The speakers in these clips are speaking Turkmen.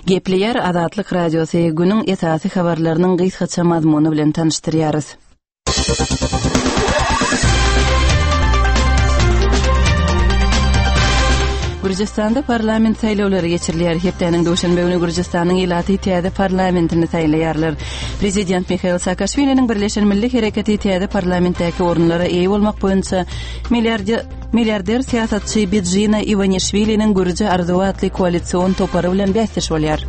Gepleýär Azatlyk Radiosy günüň esasy habarlarynyň gysgaça mazmuny bilen tanyşdyrýarys. Gürjüstanda parlament saýlawlary geçirilýär. Hepdäniň duşenbe güni Gürjüstanyň ilaty täze parlamentini saýlaýarlar. Prezident Mihail Saakaşwiliniň Birleşen Milli Hereketi täze parlamentdäki orunlara eýe bolmak boýunça milliarder syýasatçy Bidzina Iwanişwiliniň Gürji arzuwy atly koalision topary bilen bäsdeş bolýar.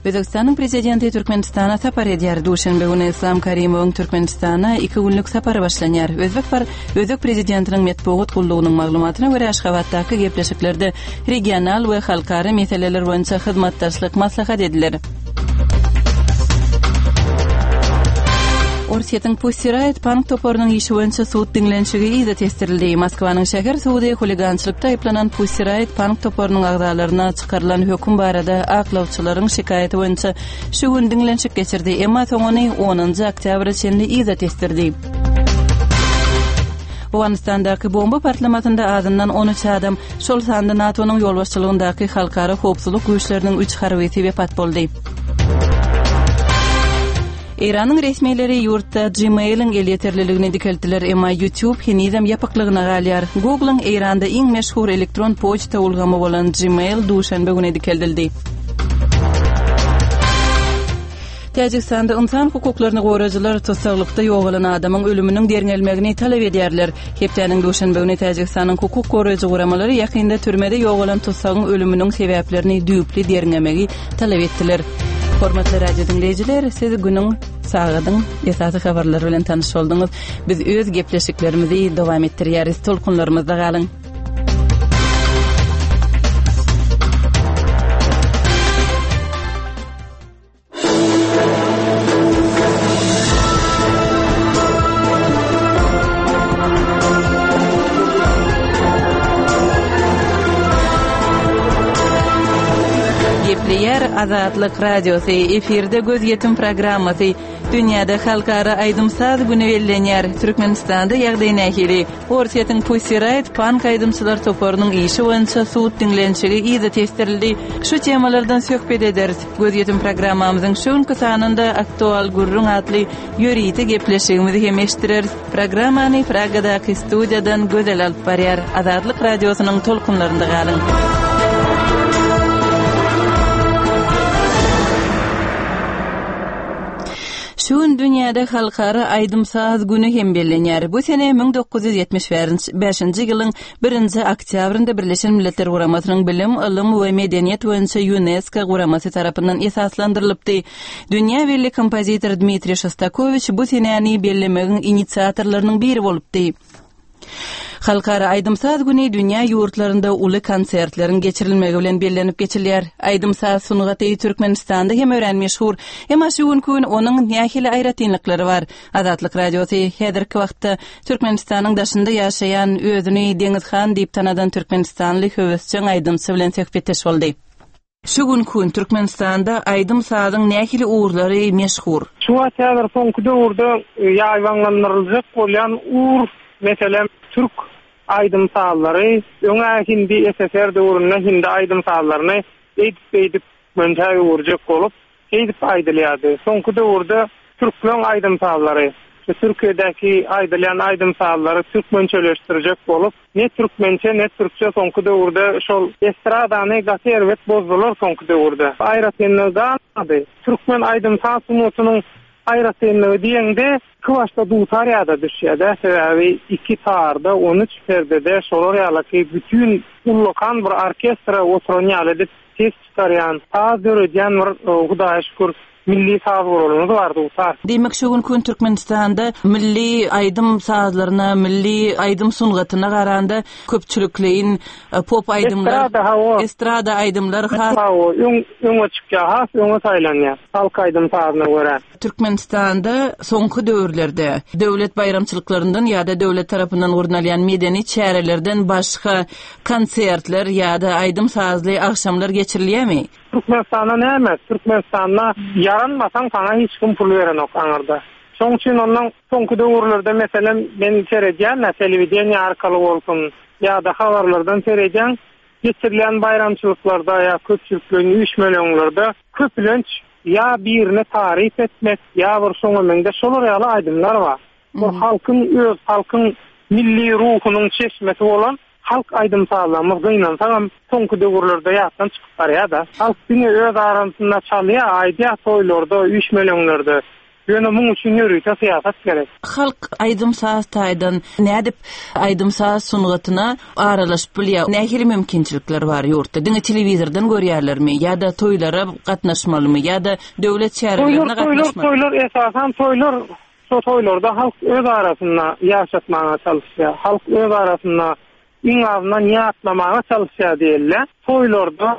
Özbegistanyň prezidenti Türkmenistana sapar edýär. Duşenbe güni Islam Karimowyň Türkmenistana iki günlük sapary başlanýar. Özbek par Özbek prezidentiniň metbugat gullugynyň maglumatyna görä, Aşgabatdaky gepleşiklerde regional we halkara meseleler boýunça hyzmatdaşlyk maslahat ediler. Orsýetiň Pussy Riot punk toparynyň işi boýunça sud diňlenişigi yza tesdirildi. Moskwanyň şäher sudy huligançylykda aýyplanan Pussy Riot punk toparynyň agzalaryna çykarylan höküm barada aklawçylaryň şikaýaty boýunça şu gün diňlenişik geçirdi, emma soň ony onunjy oktýabra çenli yza tesdirdi. Owganystandaky bomba partlamasynda azyndan 13 adam, şol sanda NATO-nyň ýolbaşçylygyndaky halkara howpsuzlyk güýçleriniň üç harbysy wepat boldy. Eýranyň resmileri ýurtda Gmail-iň elýeterliligini dikeltdiler, emma YouTube henizem ýapyklygyna galýar. Google-yň Eýranda iň meşhur elektron poçta ulgamy bolan Gmail duşenbe güni dikeldildi. Täjigistanda ynsan hukuklaryny goraýjylar tussaglykda ýogalan adamyň ölüminiň derňelmegini talap edýärler. Hepdäniň duşenbe güni Täjigistanyň hukuk goraýjy guramalary ýakynda türmede ýogalan tussagyň ölüminiň sebäplerini düýpli derňemegi talap etdiler. Hormatly radio diňleýjiler, siz günüň, sagadyň esasy habarlary bilen tanyş bolduňyz. Biz öz gepleşiklerimizi dowam etdirýäris. Tolkunlarymyzda galyň. Gepleýär Azatlyk Radiosy, efirde gözýetim programmasy. Dünýäde halkara aýdym-saz güni bellenýär. Türkmenistanda ýagdaý nähili? Orsýetiň Pussy Riot punk aýdymçylar toparynyň işi boýunça sud diňlenişigi yza tesdirildi. Şu temalardan söhbet ederis. Gözýetim programmamyzyň şu günki sanynda Aktual gürrüň atly ýörite gepleşigimizi hem eşitdireris. Programmany Pragadaky studiýadan Gözel alyp barýar. Azatlyk Radiosynyň tolkunlarynda galyň. Şu gün dünýäde Halkara aýdym-saz güni hem bellenýär. Bu sene 1975-nji ýylyň birinji oktýabrynda Birleşen Milletler Guramasynyň Bilim, ylym we medeniýet boýunça Ýunesko guramasy tarapyndan esaslandyrylypdy. Dünýä belli kompozitor Dmitriý Şostakowiç bu senäni bellemegiň inisiatorlarynyň biri bolupdy. Halkara aýdym-saz güni dünýä ýurtlarynda uly konsertleriň geçirilmegi bilen bellenip geçilýär. Aýdym-saz sungaty Türkmenistanda hem örän meşhur. Emma şu günki gün onuň nähili aýratynlyklary bar? Azatlyk Radiosy häzirki wagtda Türkmenistanyň daşynda ýaşaýan, özüni Deňiz han diýip tanadan türkmenistanly höwesjeň aýdymçy bilen söhbetdeş boldy. Şu günki gün Türkmenistanda aýdym-sazyň nähili ugurlary meşhur? Şu wagt häzir soňky döwürde ýaýbaňlandyryljak bolýan ugur, meselem, türk aýdym-sazlary. Öň-ä hindi SSR döwründe hindi aýdym-sazlaryny eýdip-beýdip türkmençä öwürjek bolup, Şeýdip aýdylýardy. Soňky döwürde türkmen aýdym-sazlary, şu Türkiýedäki aýdylýan aýdym-sazlary türkmençeleşdirjek bolup, ne türkmençe, ne türkçe soňky döwürde şol estradany gaty erbet bozdular soňky döwürde. Aýratynlygy galmady. Türkmen aýdym-saz sungatynyň aýratynlygy diýeňde, ikibaşda dutar ýada düşýär-dä, sebäbi iki tarda, 13 perdede şolar ýalaky bütin ullakan bir orkestra oturan ýaly edip Ses çykarýan, saz döredýän bir Hudaýa şükür milli saz guralymyz bar dutar. Diýmek şu günki gün Türkmenistanda milli aýdym sazlaryna, milli aýdym sungatyna garanda köpçülikleýin pop aýdymlar, Estrada hawa. Estrada aýdymlar has. Hawa, öň öňe çykýar, has öňe saýlanýar halk aýdym sazyna görä. Türkmenistanda soňky döwürlerde döwlet baýramçylyklaryndan ýa-da döwlet tarapyndan gurnalýan medeni çärelerden başga konsertler ýa-da aýdym-sazly agşamlar geçirilýärmi? Türkmenistanda näme? Türkmenistanda ýaranmasaň saňa hiç kim pul berenok aňyrda. Şoň üçin onnoň soňky döwürlerde meselem men seredýän-ä telewideniýe arkaly bolsun ýa-da habarlardan seredýäň. Geçirilýän baýramçylyklarda ýa köpçülikleýin üýşmeleňlerde köplenç ýa birine taryp etmek, ýa bir şoňa meňzeş şolar ýaly aýdymlar bar. Bir halkyň öz halkyň milli ruhunyň çeşmesi bolan halk aýdym-sazlarymyz gynansagam soňky döwürlerde ýatdan çykyp barýar-da. Halk diňe öz arasynda çalýar, aýdýar toýlarda, üýşmeleňlerde. Ýöne muň üçin ýörite syýasat gerek. Halk aýdym-saz taýdan nädip aýdym-saz sungatyna aralaşyp bilýär? Nähili mümkinçilikler bar ýurtda? Diňe telewizordan görýärlermi ýa-da toýlara gatnaşmalymy ýa-da döwlet çärelerine gatnaşmalymy? Toýlar, toýlar, esasan toýlar. Şo toýlarda halk öz arasynda ýaşatmaga çalyşýar. Halk öz arasynda iň azyndan ýatlamaga çalyşýar diýeli. Toýlarda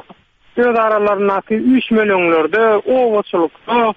Öz aralaryndaky üýşmeleňlerde, obaçylykda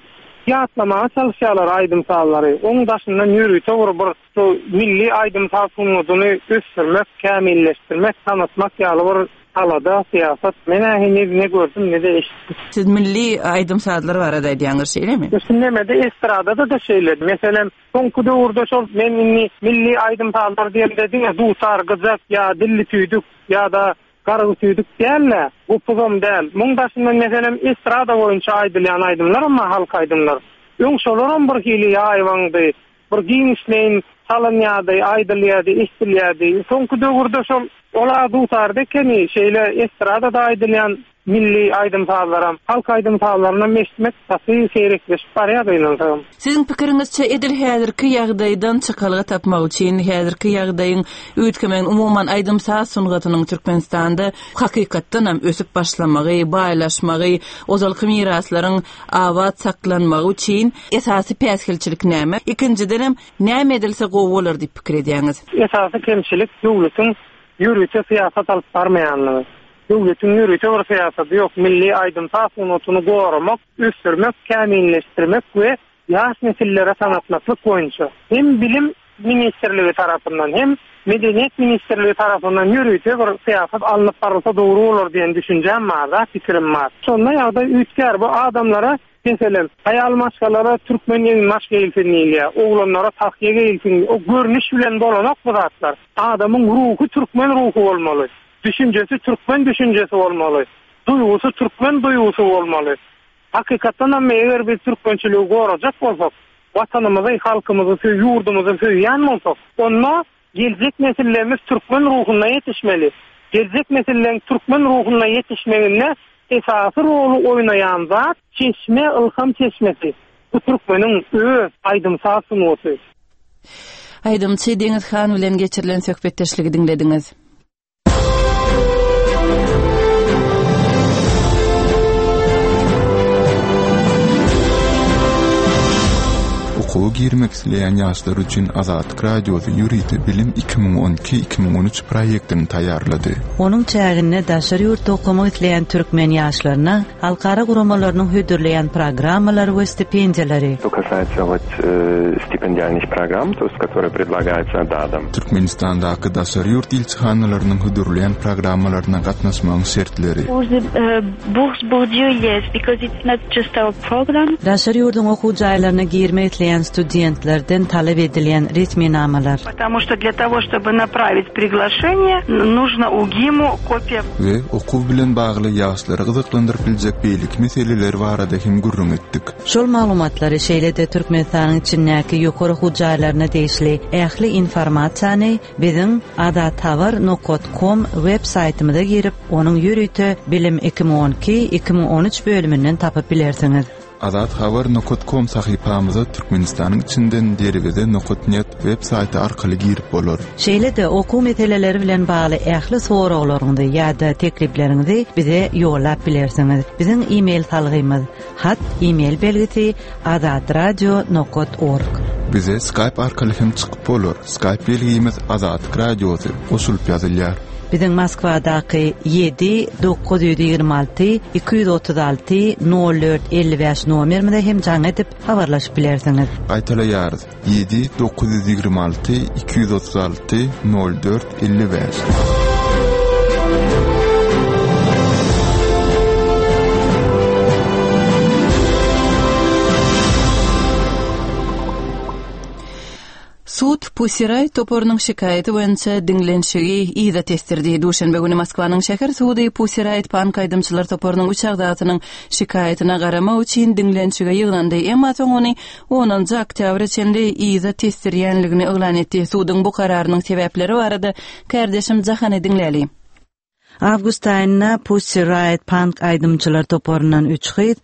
ýatlamaga çalyşýarlar aýdym-sazlary. Oň daşyndan ýörite bir bir şu milli aýdym-saz sungatyny ösdürmek, kämilleşdirmek, tanatmak ýaly bir alada, syýasat men-ä heniz ne gördüm, ne-de eşitdim. Siz milli aýdym-sazlar barada aýdýaňyz, şeýlemi? Şu nemede estradada-da şeýle. Meselem, soňky döwürde şol men indi milli aýdym-sazlar diýemde diňe dutar, gyjak ýa dilli tüýdük ýa-da Gargy tüýdük däl-de, gopuzam däl. Muň daşyndan meselem estrada boýunça aýdylýan aýdymlaram bar halk aýdymlar. Öň şolaram bir hili ýaýbaňdy, bir giňişleýin çalynýardy, aýdylýardy, eşdilýärdi. Soňky döwürde şol ol-a dutarda ekeni, şeýle estradada aýdylýan milli aýdym-sazlaram, halk aýdym-sazlarynam eşitmek gaty seýrekleşip barýar gynansagam. Siziň pikiriňizçe edil häzirki ýagdaýdan çykalga tapmak üçin, häzirki ýagdaýyň üýtgemegini, umuman aýdym-saz sungatynyň Türkmenistanda hakykatdanam ösüp başlamagy, baýlaşmagy, ozalky miraslaryň abat saklanmagy üçin esasy päsgelçilik näme? Ikinjidenem, näme edilse gowy bolar diýip pikir edýäňiz? Esasy kemçilik döwletiň ýörite syýasat alyp barmaýanlygy. Döwletiň ýörite bir syýasaty ýok, milli aýdym-saz sungatyny goramak, ösdürmek, kämilleşdirmek we ýaş nesillere tanatmaklyk boýunça hem Bilim ministrligi tarapyndan, hem Medeniýet ministrligi tarapyndan ýörite bir syýasat alnyp barylsa dogry bolar diýen düşünjäm bar-da, pikirim bar. Şonda ýagdaý üýtgär. Bu adamlara, meselem, aýal maşgalara türkmen eginbaş geýilsin diýilýär, oglanlara tahýa geýilsin, o görnüş bilen bolanok bu zatlar. Adamyň ruhy türkmen ruhy bolmaly. Düşünjesi türkmen düşünjesi bolmaly. Duýgusy türkmen duýgusy bolmaly. Hakykatdanam eger biz türkmençiligi gorajak bolsak, Watanymyzy, halkymyzy söý, ýurdumyzy söýýän bolsak, onda geljek nesillerimiz türkmen ruhunda ýetişmeli. Geljek nesilleň türkmen ruhunda ýetişmeginde esasy roly oýnaýan zat çeşme, ylham çeşmesi. Bu türkmeniň öz aýdym-saz sungaty. Aýdymçy Deňiz han bilen geçirilen söhbetdeşligi diňlediňiz. Okuwa girmek isleýän ýaşlar üçin Azatlyk Radiosy ýörite Bilim 2012, 2013 proýektini taýýarlady. Onuň çäginde daşary ýurtda okamak isleýän türkmen ýaşlaryna Halkara guramalarynyň hödürleýän programmalary we stipendiýalary. Что касается вот stipendialnych program, to есть которые predlagаются DAAD-om. Türkmenistandaky daşary ýurt ilçihanalarynyň hödürleýän programmalaryna gatnaşmagyň şertleri. Daşary ýurduň okuw jaýlaryna girmek isleýän studentlerden talap edilýän resminamalar. Потому что для того, чтобы naprawить priglaşeniýe, нужно UGIMU kopiýa. We okuw bilen bagly ýaşlary gyzyklandyryp biljek beýleki meseleler barada hem gürrüň etdik. Şol maglumatlary, şeýle-de Türkmenistanyň içindäki ýokary okuw jaýlaryna degişli ähli informasiýany biziň azathabar nokat kom web saýtymyza girip, onuň ýörite Bilim 2012, 2013 bölüminden tapyp bilersiňiz. Azat habar nokat kom sahypamyza Türkmenistanyň içinden derweze nokat net web saýty arkaly girip bolar. Şeýle-de okuw meseleleri bilen bagly ähli soraglaryňyzy ýa-da teklipleriňizi bize ýollap bilersiňiz. Biziň e-mail salgymyz, hat e-mail belgisi azatradio nokat org. Bize Skype arkaly hem çykyp bolar. Skype belgimiz Azatlyk Radiosy goşulyp ýazylýar. Biziň Moskwadaky ýedi 926 236 04 55 nomerimize hem jaň edip habarlaşyp bilersiňiz. Gaýtalaýarys, ýedi 926 236 04 55. Sud. Pussy Riot toparynyň şikaýaty boýunça diňlenişigi yza tesdirdi. Duşenbe güni Moskwanyň şäher sudy Pussy Riot pank aýdymçylar toparynyň üç agzasynyň şikaýatyna garamak üçin diňlenişige ýygnandy, emma soň ony onunjy oktýabra çenli yza tesdirýänligini yglan etdi. Suduň bu kararynyň sebäpleri barada kärdeşim Jahany diňläli. Awgust aýynda Pussy Riot pank aýdymçylar toparyndan üç gyz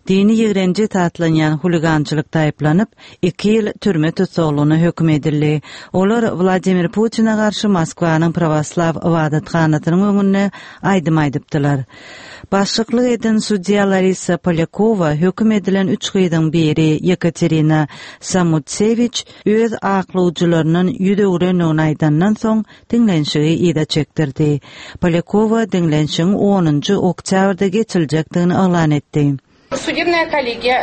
dini ýigrenji esaslanýan huligançylykda aýyplanyp, iki ýyl türme tussaglygyna höküm edildi. Olar Wladimir Putine garşy Moskwanyň prawoslaw ybadathanasynyň öňünde aýdym aýdypdylar. Başlyklyk eden sudýa Larisa Polýakowa höküm edilen üç gyzyň biri Ýekaterina Samutsewiç öz aklawjylaryndan ýüz öwrendigini aýdandan soň, diňlenişigi yza çekdirdi. Polýakowa diňlenişigiň onunjy oktýabrda geçiriljekdigini yglan etdi. Sudebnaýa kollegiýa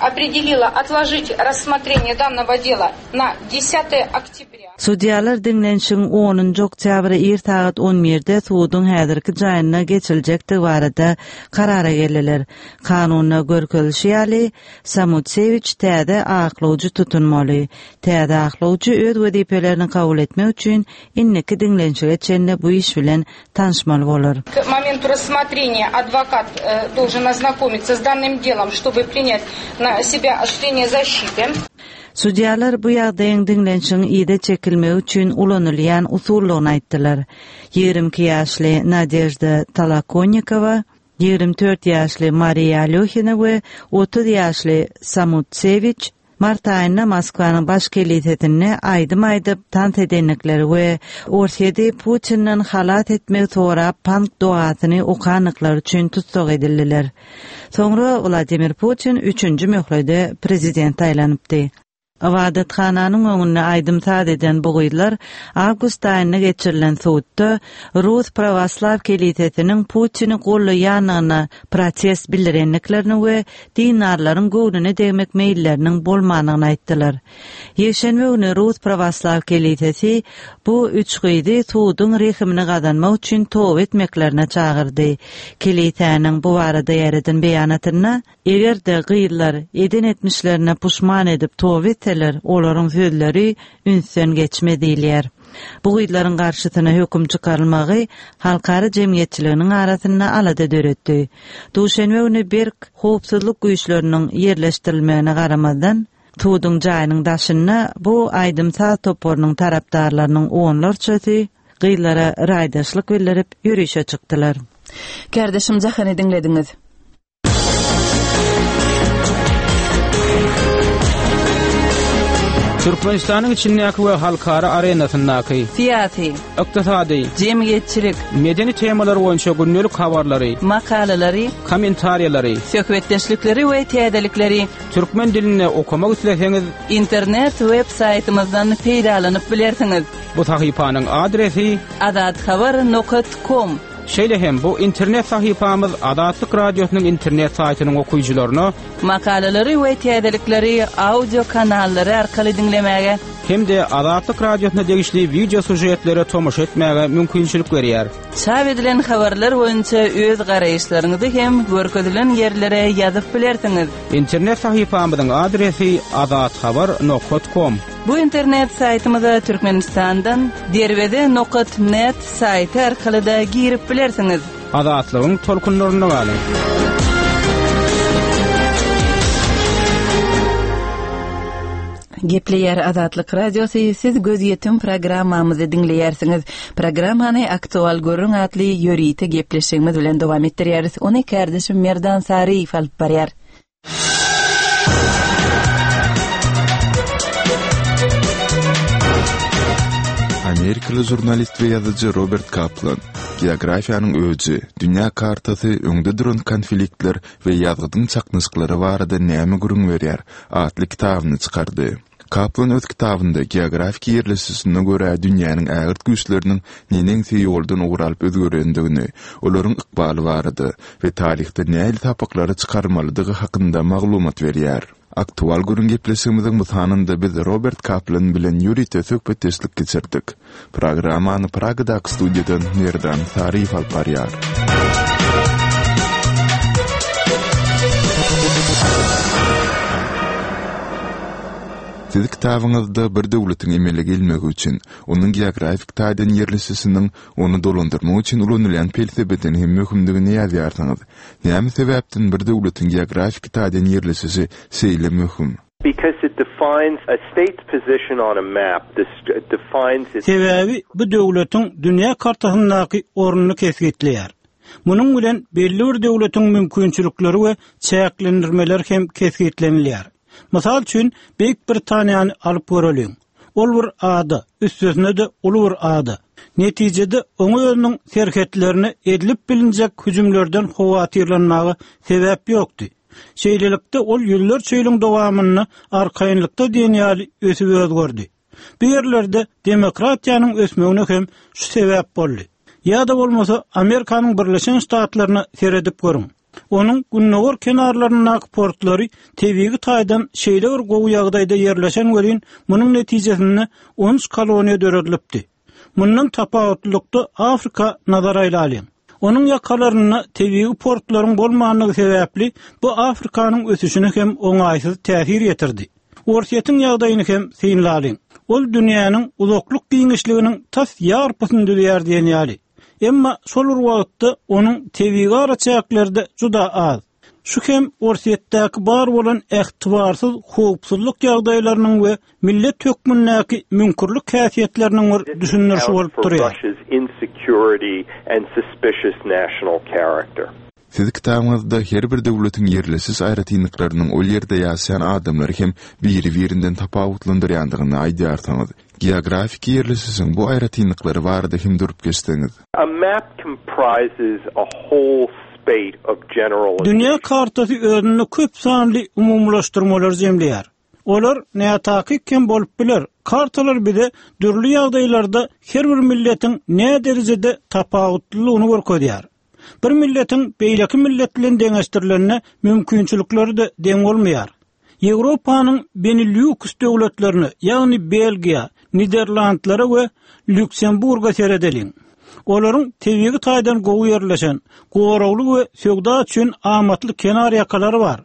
opredelila otložit rassmotreniýe dannogo dela na desýatoe oktýabrýa. Sudýalar diňlenişigiň onunjy oktýabra ir sagat on birde suduň häzirki jaýynda geçiriljekdigi barada karara geldiler. Kanunda görkezilişi ýaly, Samutsewiç täze aklawjy tutunmaly. Täze aklawjy öz wezipelerini kabul etmek üçin indiki diňlenişige çenli bu iş bilen tanyşmaly bolar. K momentu rassmotreniýa adwokat dolžen oznakomиться s dannym delom, ştoby prinýat na sebýa osuştwleniýe zaşçity. Sudýalar bu ýagdaýyň diňlenişigiň yza çekilmegi üçin ulanylýan usuldygyny aýtdylar. 22 ýaşly Nadežda Tolokonnikowa, 24 ýaşly Mariýa Alýohina we 30 ýaşly Samutsewiç mart aýynda Moskwanyň Baş kelisesinde aýdym aýdyp, tans edendikleri we Orsýeti Putinden halas etmegi sorap pank dogasyny okandyklary üçin tussag edildiler. Soňra Wladimir Putin üçünji möhlede prezident saýlanypdy. Ybadathananyň öňünde aýdym-saz eden bu gyzlar awgust aýynda geçirilen sudda Rus prawoslaw kelisesiniň Putini gollaýandygyna protest bildirendiklerini we dindarlaryň göwnüne degmek meýilleriniň bolmandygyny aýtdylar. Ýekşenbe güni Rus prawoslaw kelisesi bu üç gyzy suduň rehimini gazanmak üçin toba etmeklerine çagyrdy. Kelisäniň bu barada ýaýradan beýanatynda, Eger-de gyzlar eden etmişlerine puşman edip toba etseler, olaryň sözleri ünsden geçmez diýilýär. Bu gyzlaryň garşysyna höküm çykarylmagy halkara jemgyýetçiliginiň arasynda alada döretdi. Duşenbe güni berk howpsuzlyk güýçleriniň ýerleşdirilmegine garamazdan, suduň jaýynyň daşynda bu aýdym-saz toparynyň tarapdarlarynyň onlarçasy gyzlara raýdaşlyk bildirip ýörişe çykdylar. Kärdeşim Jahany diňlediňiz. Türkmenistanyň içindäki we halkara arenasyndaky syýasy, ykdysady, jemgyýetçilik, medeni temalar boýunça gündelik habarlary, makalalary, kommentariýalary, söhbetdeşlikleri we täzelikleri türkmen dilinde okamak isleseňiz, internet web saýtymyzdan peýdalanyp bilersiňiz. Bu sahypanyň adresi azathabar nokat kom. Şeýle hem bu internet sahypamyz Azatlyk Radiosynyň internet saýtynyň okyjylaryna Makalalary we täzelikleri audio kanallary arkaly diňlemäge hem-de Azatlyk Radiosyna degişli wideo sýužetlere tomaşa etmäge mümkinçilik berýär. Çap edilen habarlar boýunça öz garaýyşlaryňyzy hem görkezilen ýerlere ýazyp bilersiňiz. Internet sahypamyzyň adresi azathabar nokat kom. Bu internet saýtymyza Türkmenistandan Derweze nokat net saýty arkaly-da girip bilersiňiz. Azatlygyň tolkunlarynda galyň! Gepleýär Azatlyk Radiosy, siz Gözýetim programmamyzy diňleýärsiňiz. Programmany Aktual gürrüň atly ýörite gepleşigimiz bilen dowam etdirýäris. Ony kärdeşim Merdan Saryýew alyp barýar. Amerikaly žurnalist we ýazyjy Robert Kaplan Geografiýanyň öji, dünýä kartasy öňde duran konfliktler we ýazgydyň çaknyşyklary barada näme gürrüň berýär atly kitabyny çykardy. Kaplan öz kitabynda geografiki ýerleşişine görä dünýäniň ägirt güýçleriniň neneňsi ýoldan ugur alyp özgerendigini, olaryň ykbaly barada we taryhda nähili sapaklary çykarmalydygy hakynda maglumat berýär. Aktual gürrüň gepleşigimiziň bu sanynda biz Robert Kaplan bilen ýörite söhbetdeşlik geçirdik. Programmany Pragadaky studiýadan Merdan Saryýew alyp barýar. Siz kitabyňyzda bir döwletiň emele gelmegi üçin, onuň geografik taýdan ýerleşişiniň ony dolandyrmak üçin ulanylýan pelsepeden hem möhümdigini ýazýarsyňyz. Näme sebäpden bir döwletiň geografiki taýdan ýerleşişi şeýle möhüm? Because it defines a state's position on a map, defines its. Sebäbi bu döwletiň dünýä kartasyndaky ornuny kesgitleýär. Munuň bilen belli bir döwletiň mümkinçilikleri we çäklendirmeleri hem kesgitlenilýär. Mysal üçin, Beýik Britaniýany alyp göreliň. Ol bir ada, üstesine-de uly bir ada. Netijede, oňa özüniň serhetlerine edilip bilinjek hüjümlerden howatyrlanmaga sebäp ýokdy. Şeýlelikde, ol ýüzlerçe ýylyň dowamynda arkaýynlykda diýen ýaly ösüp özgerdi. Bu ýerlerde demokratiýanyň ösmegine hem şu sebäp boldy. Ýa-da bolmasa, Amerikanyň Birleşen Ştatlaryna seredip görüň. Onuň gündogar kenarlaryndaky portlary tebigy taýdan şeýle bir gowy ýagdaýda ýerleşen welin, munuň netijesinde on üç koloniýa döredilipdi. Mundan tapawutlylykda Afrika nazar aýlalyň. Onuň ýakalarynda tebigy portlaryň bolmandygy sebäpli bu Afrikanyň ösüşine hem oňaýsyz täsir ýetirdi. Orsýetiň ýagdaýyny hem synlalyň. Ol dünýäniň uzaklyk giňişliginiň tas ýarpysyny düzýär diýen ýaly. Emma şol bir wagtda onuň tebigy araçäkleri-de juda az. Şu hem Orsýetdäki bar bolan ähtibarsyz howpsuzlyk ýagdaýlarynyň we millet hökmündäki müňkürlik häsiýetleriniň bir düşündirişi bolup durýar. Siz kitabyňyzda her bir döwletiň ýerleşiş aýratynlyklarynyň ol ýerde ýaşaýan adamlary hem biri-birinden tapawutlandyrýandygyny aýdýarsyňyz. Geografiki ýerleşişiň bu aýratynlyklary barada hem durup geçseňiz. A map comprises a whole spate of generalizations. Dünýä kartasy özünde köp sanly umumylaşdyrmalary jemleýär. Olar nätakyk hem bolup biler. Kartalar bize dürli ýagdaýlarda her bir milletiň näderejede tapawutlylygyny görkezýär. Bir milletiň beýleki millet bilen deňeşdirilende mümkinçilikleri-de deň bolmaýar. Ýewropanyň Benilýuks döwletlerine, ýagny Belgiýa, Niderlandlara we Lýuksemburga seredeliň. Olaryň tebigy taýdan gowy ýerleşen, goragly we söwda üçin amatly kenar ýakalary bar.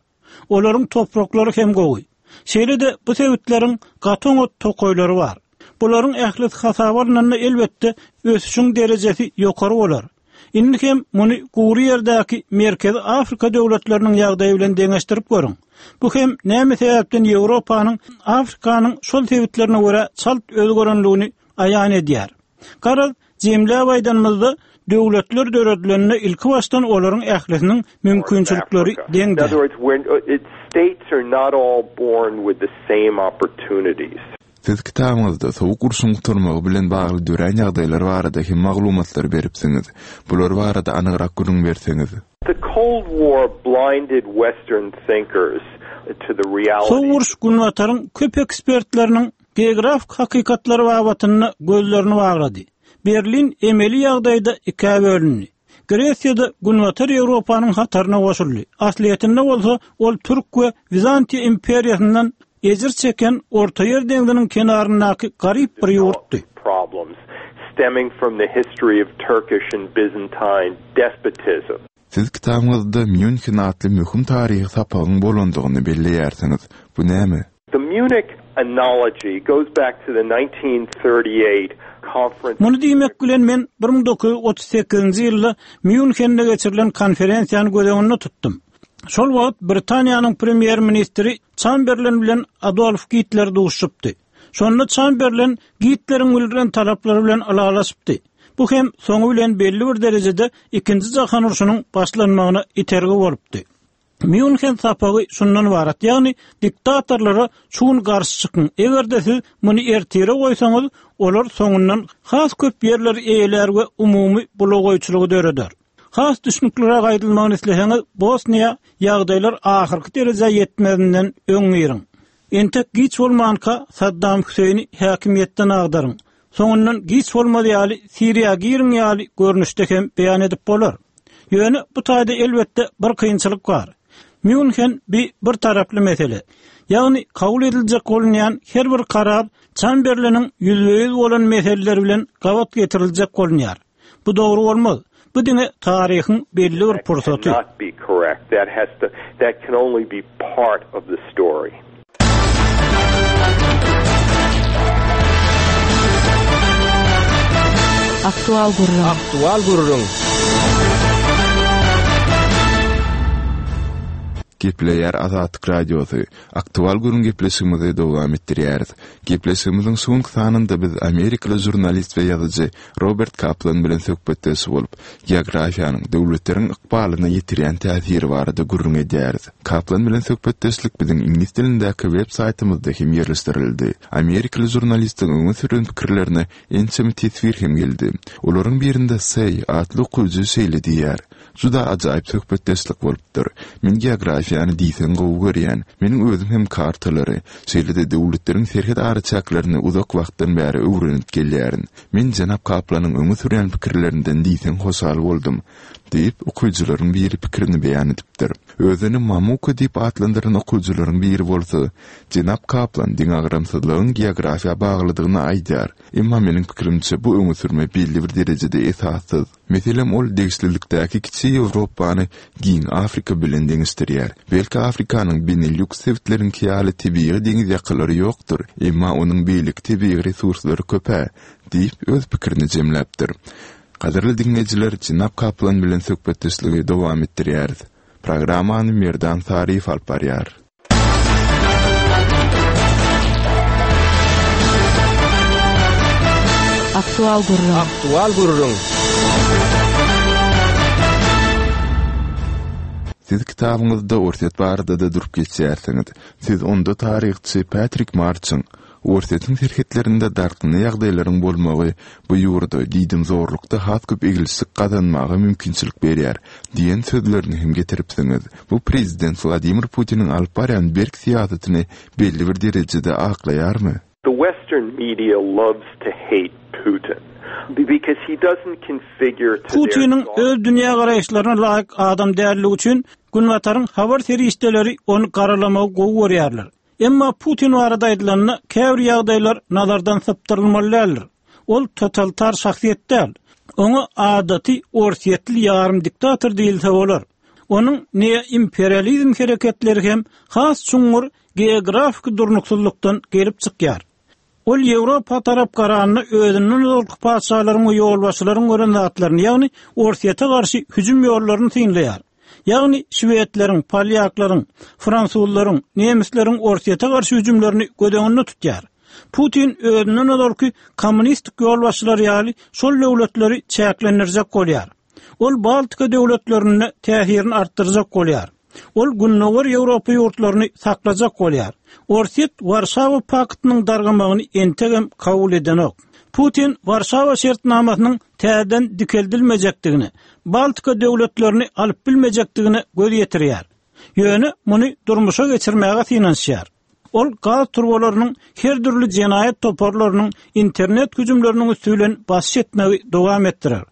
Olaryň topraklary hem gowy. Şeýle-de bu sebitleriň gaty oňat tokaýlary bar. Bularyň ählisi hasaba alnanda elbetde ösüşiň derejesi ýokary bolar. Indi hem muny gury ýerdäki Merkezi Afrika döwletleriniň ýagdaýy bilen deňeşdirip görüň. Bu hem näme sebäpden Ýewropanyň Afrikanyň şol sebitlerine görä çalt özgerenligini aýan edýär. Garaz, jemläp aýdanymyzda, döwletler döredilende ilkibaşdan olaryň ählisiniň mümkinçilikleri deň däl. Siz kitabyňyzda Sowuk urşuň gutarmagy bilen bagly dörän ýagdaýlar barada hem maglumatlar beripsiňiz. Bular barada anygrak gürrüň berseňiz. The Cold War blinded Western thinkers to the realities. Sowuk uruş Günbataryň köp ekspertleriniň geografik hakykatlary babatynda gözlerini baglady. Berlin emeli ýagdaýda ikä bölündi. Gresiýa-da Günbatar Ýewropanyň hataryna goşuldy. Aslyýetinde bolsa ol türk we Wizantiýa imperiýasyndan ejir çeken Ortaýer deňziniň kenaryndaky garyp bir ýurtdy. Siz kitabyňyzda Mýunhen atly möhüm taryhy sapagyň bolandygyny belleýärsiňiz. Bu näme? The Munich analogy goes back to the 1938 conference. Muny diýmek bilen men 1938-nji ýylda Mýunhende geçirilen konferensiýany göz öňünde tutdum. Şol wagt Britaniýanyň premýer-ministri Çamberlen bilen Adolf Gitler duşuşypdy. Şonda Çamberlen Gitleriň bildiren talaplary bilen ylalaşypdy. Bu hem soňy bilen belli bir derejede Ikinji jahan urşunyň başlanmagyna itergi bolupdy. Mýunhen sapagy şundan ybarat, ýagny diktatorlara şu gün garşy çykyň, eger-de siz muny ertire goýsaňyz, olar soňundan has köp ýerleri eýelär we umumy bulagaýçylygy döreder. Has düşnükliräk aýdylmagyny isleseňiz, Bosniýa ýagdaýlar ahyrky derejä ýetmezinden öň giriň. Entek giç bolmanka Saddam Hüseýini häkimiýetden agdaryň. Soňundan giç bolmaz ýaly Siriýa giriň ýaly görnüşde hem beýan edip bolar. Ýöne bu taýda elbetde bir kynçylyk bar. Mýunhen bi bir taraply mesele. Ýagny kabul ediljek bolunýan her bir karar Çamberleniň ýüzbe-ýüz bolan meseleleri bilen gabat getiriljek bolunýar. Bu dogry bolmaz. Bu diňe taryhyň belli bir pursaty. Aktual gürrüň. Aktual gürrüň. Gepleýär Azatlyk Radiosy. Aktual gürrüň gepleşigimizi dowam etdirýäris. Gepleşigimiziň şu günki sanynda biz amerikaly žurnalist we ýazyjy Robert Kaplan bilen söhbetdeş bolup, geografiýanyň döwletleriň ykbalyna ýetirýän täsiri barada gürrüň edýäris. Kaplan bilen söhbetdeşlik biziň iňlis dilindäki web saýtymyzda hem ýerleşdirildi. Amerikaly žurnalistiň öňe süren pikirlerine ençeme teswir hem geldi. Olaryň birinde Seý atly okyjy şeýle diýýär, Juda ajaýyp söhbetdeşlik bolupdyr. Men geografiýany diýseň gowy görýän. Meniň özüm hem kartalary, şeýle-de döwletleriň serhet araçäklerini uzak wagtdan bäri öwrenip gelýärin. Men jenap Kaplanyň öňe sürýän pikirlerinden diýseň hoşal boldum, diýip, okyjylaryň biri pikirini beýan edipdir. Özüni Mamuka diýip atlandyran okyjylaryň biri bolsa, Jenap Kaplan deňagramsyzlygyň geografiýa baglydygyny aýdýar. Emma meniň pikirimçe, bu öňe sürme belli bir derejede esassyz. Meselem, ol degişlilikdäki kiçi Ýewropany giň Afrika bilen deňeşdirýär. Belki Afrikanyň Benelýuks sebitleriňki ýaly tebigy deňiz ýakalary ýokdur, emma onuň beýleki tebigy resurslary köp-ä, diýip, öz pikirini jemläpdir. Gadyrly diňleýjiler, jenap Kaplan bilen söhbetdeşligi dowam etdirýäris. Programmany Merdan Saryýew alyp barýar. Aktual gürrüň. Aktual gürrüň. Siz kitabyňyzda Orsýet barada-da durup geçýärsiňiz. Siz onda taryhçy Patrik Marçyň Orsýetiň serhetlerinde dartgynly ýagdaýlaryň bolmagy bu ýurda diýdimzorlukda has köp eglişik gazanmaga mümkinçilik berýär diýen sözlerini hem getiripsiňiz. Bu prezident Wladimir Putiniň alyp barýan berk syýasatyny belli bir derejede aklaýarmy? The western media loves to hate Putin because he doesn't configure to their Putiniň öz dünýägaraýyşlaryna laýyk adam däldigi üçin Günbataryň habar serişdeleri ony garalamagy gowy görýärler. Emma Putin barada aýdylanda, käbir ýagdaýlar nazardan sypdyrylmaly däldir. Ol totalitar şahsyýet däl. Oňa adaty orsýetli ýarym diktator diýilse bolar. Onuň neoimperializm hereketleri hem has çuňňur geografiki durnuksyzlykdan gelip çykýar. Ol Ýewropa tarap garanda özünden ozalky patyşalaryň we ýolbaşçylaryň gören zatlaryny, ýagny Orsýete garşy hüjüm ýollaryny synlaýar. Ýagny şwedleriň, polýaklaryň, fransuzlaryň, nemisleriň Orsýete garşy hüjümlerini göz öňünde tutýar. Putin özünden ozalky kommunistik ýolbaşçylar ýaly şol döwletleri çäklendirjek bolýar. Ol Baltika döwletlerinde täsirini artdyrjak bolýar. Ol Gündogar Ýewropa ýurtlaryny saklajak bolýar. Orsýet Warşawa paktynyň dargamagyny entegem kabul edenok. Putin Warşawa şertnamasynyň täzeden dikeldilmejekdigine, Baltika döwletlerini alyp bilmejekdigine göz ýetirýär. Ýöne muny durmuşa geçirmäge synanyşýar. Ol gaz turbalarynyň her dürli jenaýat toparlarynyň internet hüjümleriniň üsti bilen basyş etmegi dowam etdirer.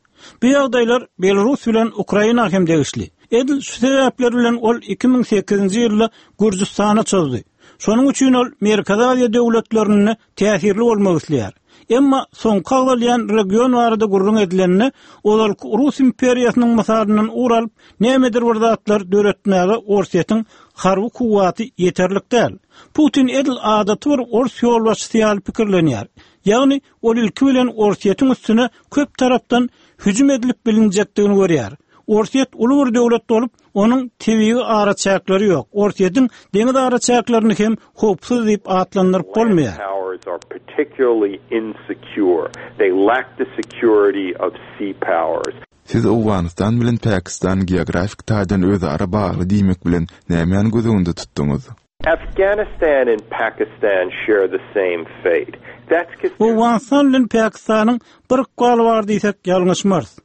Bu ýagdaýlar Belarus bilen Ukraina hem degişli. Edil şu sebäpler bilen ol 2008-nji ýylda Gürjüstana çozdy. Şonuň üçin ol Merkezi Aziýa döwletlerinde täsirli bolmak isleýär. Emma soňky agzalýan region barada gürrüň edilende, ozalky Rus imperiýasynyň mysalyndan ugur alyp, nämedir bir zatlar döretmäge Orsýetiň harby kuwwaty ýeterlik däl. Putin edil adaty bir ors ýolbaşçysy ýaly pikirlenýär. Ýagny, ol ilki bilen Orsýetiň üstüne köp tarapdan hüjüm edilip bilinjekdigini görýär. Orsýet uly bir döwlet bolup, onuň tebigy araçäkleri ýok. Orsýetiň deňiz araçäklerini hem howpsuz diýip atlandyryp bolmaýar. Siz Owganystan bilen Pakistan geografik taýdan özara bagly diýmek bilen nämäni göz öňünde tutduňyz? Afghanistan and Pakistan share the same fate. That's Owganystan bilen Pakistanyň bir ykbaly bar diýsek ýalňyşmarys.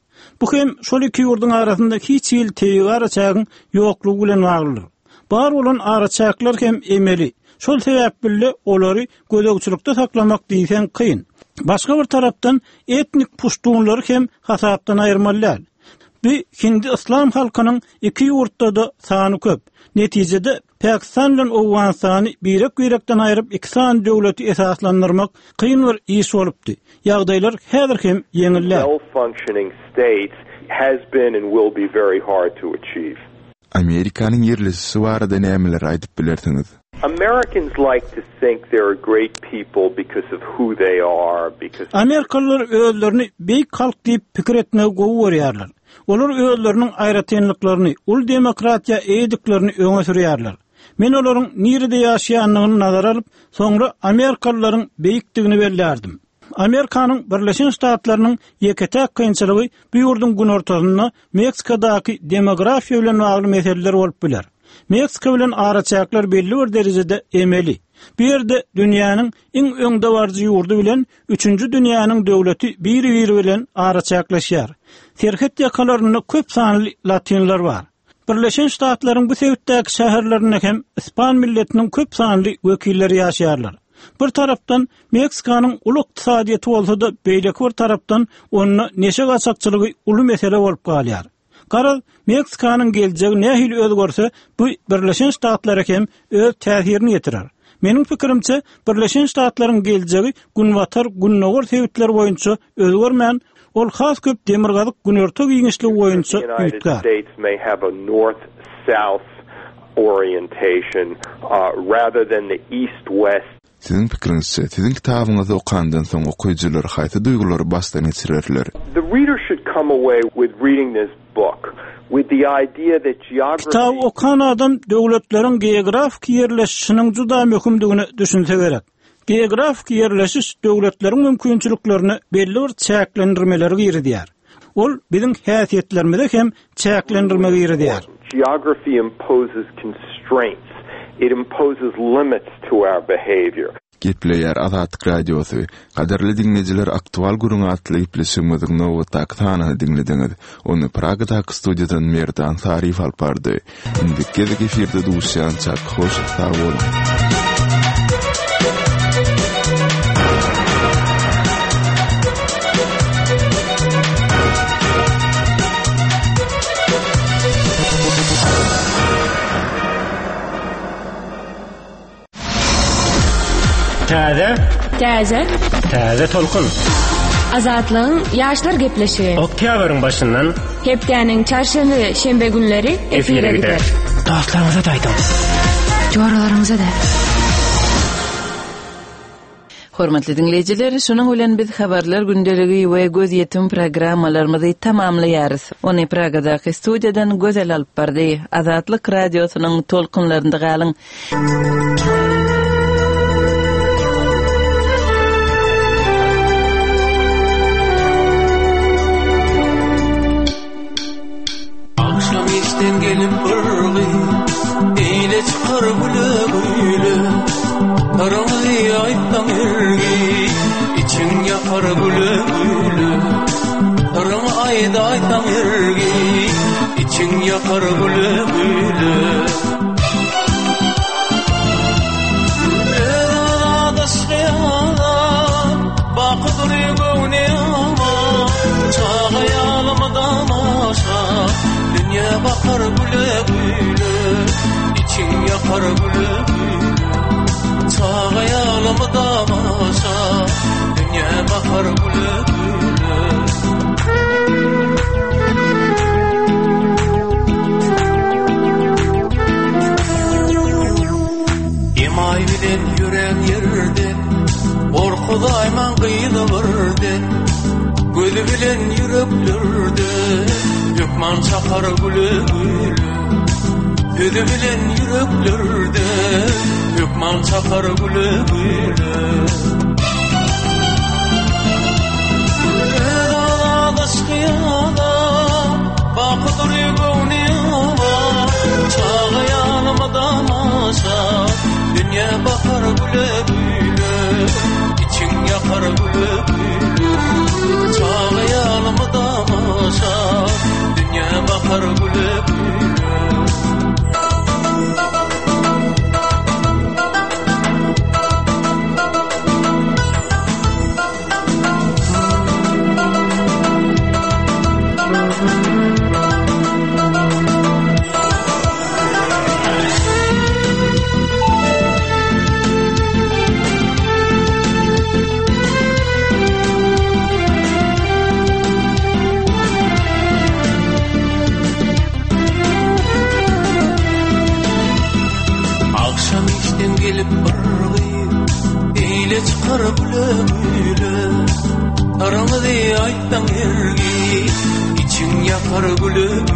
Bu hem şol iki ýurduň arasynda hiç hili tebigy araçägiň ýoklugy bilen baglydyr. Bar bolan araçäkler hem emeli. Şol sebäpli-de olary gözegçilikde saklamak diýseň kyn. Başga bir tarapdan etnik puştunlary hem hasapdan aýyrmaly däl. Bu hindi-yslam halkynyň iki ýurtda-da sany köp. Netijede, Pakistan bilen Owganystany birek-birekden aýryp iki sany döwleti esaslandyrmak kyn bir iş bolupdy. Ýagdaýlar häzir hem ýeňil däl. well-functioning states has been and will be very hard to achieve. Amerikanyň ýerleşişi barada nämeleri aýdyp bilersiňiz? Americans like to think they're a great people because of who they are, because Amerikalylar özlerini beýik halk diýip pikir etmegi gowy görýärler. Olar özleriniň aýratynlyklaryny, uly demokratiýa eýediklerini öňe sürýärler. Men olaryň nirede ýaşaýandygyny nazara alyp, soňra amerikalylaryň beýikdigini bellärdim. Amerikanyň Birleşen Ştatlarynyň ýeke-täk kynçylygy bu ýurduň günortasynda Meksikadaky demografiýa bilen bagly meseleler bolup biler. Meksika bilen araçäkler belli bir derejede emeli. Bu ýerde dünýäniň iň öňdebaryjy ýurdy bilen üçünji dünýäniň döwleti bir-biri bilen araçäkleşýär. Serhet ýakalarynda köp sanly latynlar bar. Birleşen Ştatlaryň bu sebitdäki şäherlerinde hem ispan milletiniň köp sanly wekilleri ýaşaýarlar. Bir tarapdan, Meksikanyň uly ykdysadyýeti bolsa-da, beýleki bir tarapdan, onda neşe gaçakçylygy uly mesele bolup galýar. Garaz, Meksikanyň geljegi nähili özgerse, bu Birleşen Ştatlara hem öz täsirini ýetirer. Meniň pikirimçe, Birleşen Ştatlaryň geljegi günbatar-gündogar sebitler boýunça özgermän, ol has köp demirgazyk-günorta giňişligi boýunça üýtgär. Siziň pikiriňizçe, siziň kitabyňyzy okandan soň okyjylar haýsy duýgulary başdan geçirerler? The reader should come away with reading this book with the idea that geography. Kitaby okan adam döwletleriň geografiki ýerleşişiniň juda möhümdigine düşünse gerek. Geografiki ýerleşiş döwletleriň mümkinçiliklerine belli bir çäklendirmeleri girizýär. Ol biziň häsiýetlerimize hem çäklendirme girizýär. Geography imposes constraints. It imposes limits to our behavior. Gepleýär Azatlyk Radiosy. Gadyrly diňleýjiler Aktual gürrüň atly gepleşigimiziň nobatdaky sanyny diňlediňiz. Ony Pragadaky studiýadan Merdan Saryýew alyp bardy. Indiki gezek efirde duşýançak hoş sag boluň. Täze. Täze. Täze tolkun. Azatlygyň ýaşlar gepleşigi. Oktýabryň başyndan. Hepdäniň çarşenbe we şenbe günleri efire gider. Dostlaryňyza-da aýdyň. Joralaryňyza-da. Hormatly diňleýjiler, şunuň bilen biz Habarlar gündeligi we Gözýetim programmalarymyzy tamamlaýarys. Ony Pragadaky studiýadan Gözel alyp bardy. Azatlyk Radiosynyň tolkunlarynda galyň! Agşam işden gelip bir gyz Eýle çykar güle-güle Syryňy aýtsaň ergi Içiň ýakar güle-güle Syryňy aýdaýsaň ergi Içiň ýakar güle-güle Bakar güle güle Içiň ýakar güle güle Çaga ýalymy damaşa Dünýä bakar güle güle Emaý bilen ýörän ýerde Gorkuzaýmaň gyzy birden Gözi bilen ýüreklerde Hökman çakar güle güle Sözi bilen ýüreklerde Hökman çakar güle güle Dünýä bakar güle-güle, Içiň ýakar güle-güle. Çaga ýalymy damaşa, Dünýä bakar güle-güle. Gelip bir gyz Beýle çykar güle güle Syryňyzy aýtsaň hergiz Içiň ýakar güle güle.